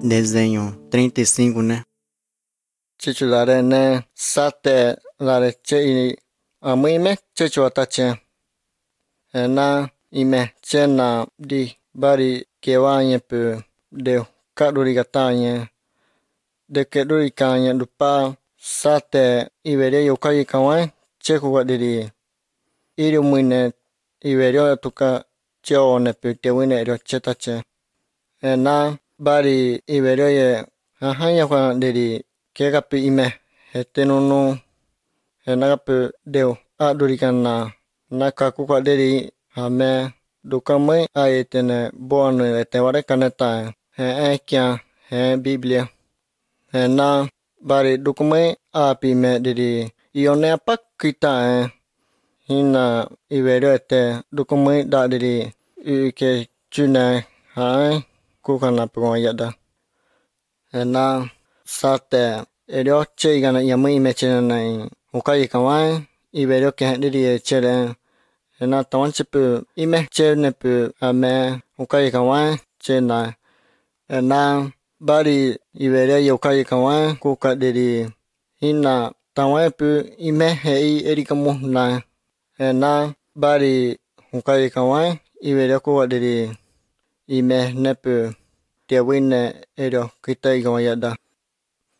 Desenho 35, né? Titular né sate la che a mui me che chota che na ime che na di bari ke wa nye pu de ka duri gatanye de ke duri kanye lupa sate ibere yo kai kawan che ku ga di iri muine ibere tuka che one pu te wine ro che ta che na bari ibere ye ha ya kwa de ke ga pi ime hetenunu henagapu deu adurikana nakakuka deri hame dukamai ayetene boanu eteware kaneta he ekya he biblia he na bari dukamai api me deri ione apakita hina iverete dukamai da deri ke chune ha kukana pungayada he na sate eryo cheigana yamai mechena ukai kawan iberio ke diri chere na tawan chipu ime cherne pu ame ukai kawan chena na bari iberio ukai kawan kuka diri hina tawan pu ime hei erikamu na bari ukai kawan iberio kuka diri ime nepu tiawine erio kitai kawayada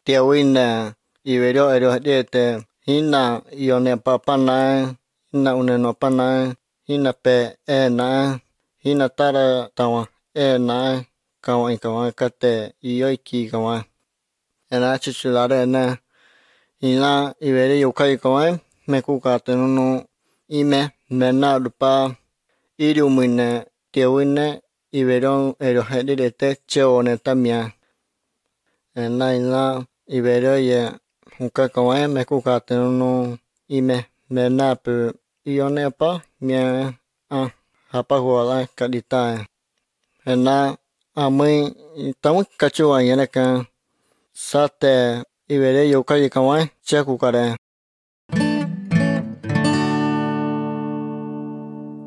tiawine iberio erio dete hina ione papana hina uneno pana hina pe hina tara tawa kawan kate iyoiki kawan ena chichulare na hina ibere yokai kawan mekuka tenunu ime mena lupa iriumine tiawine iberion ero hedete cheone tamia ena ibero ye uka kawan mekuka tenunu ime menapu ione pa mia hapa huala kadita ena amui tamu kachua yeneka sate ibere yokai kawan chekukare